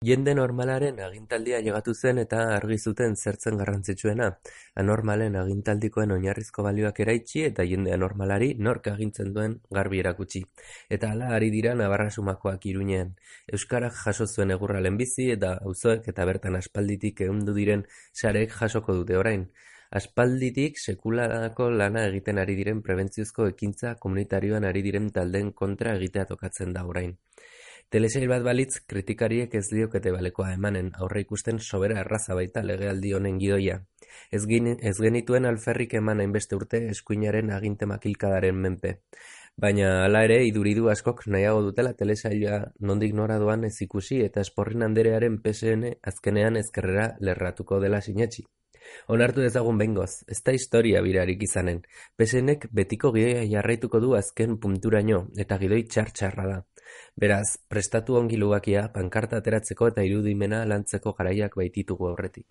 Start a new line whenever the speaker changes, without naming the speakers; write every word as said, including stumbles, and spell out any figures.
Jende normalaren agintaldia llegatu zen eta argi zuten zertzen garrantzitsuena, anormalen agintaldikoen oinarrizko balioak eraitsi eta jende anormalari nork agintzen duen garbi erakutsi. Eta hala ari dira Nabarrasumakoak Iruñean. Euskarak jaso zuen egurra lehenbizi eta auzoek eta bertan aspalditik ehundu diren sareek jasoko dute orain. Aspalditik sekularako lana egiten ari diren prebentziozko ekintza komunitarioan ari diren taldeen kontra egitea tokatzen da orain. Telesail bat balitz, kritikariek ez liokete balekoa emanen, aurre ikusten sobera erraza baita legealdi honen gidoia. Ez, gin, ez genituen alferrik eman hainbeste urte eskuinaren aginte makilkadaren menpe. Baina hala ere, iduridu askok nahiago dutela telesaila nondik nora doan ez ikusi eta Esporrin Anderearen P S N azkenean ezkerrera lerratuko dela sinetsi. Onartu dezagun behingoz, ez da historia birarik izanen. P S Nek betiko gidoia jarraituko du azken punturaino, eta gidoi txar-txarra da. Beraz, prestatu ongi lubakia, pankarta ateratzeko eta irudimena lantzeko garaiak baititugu aurretik.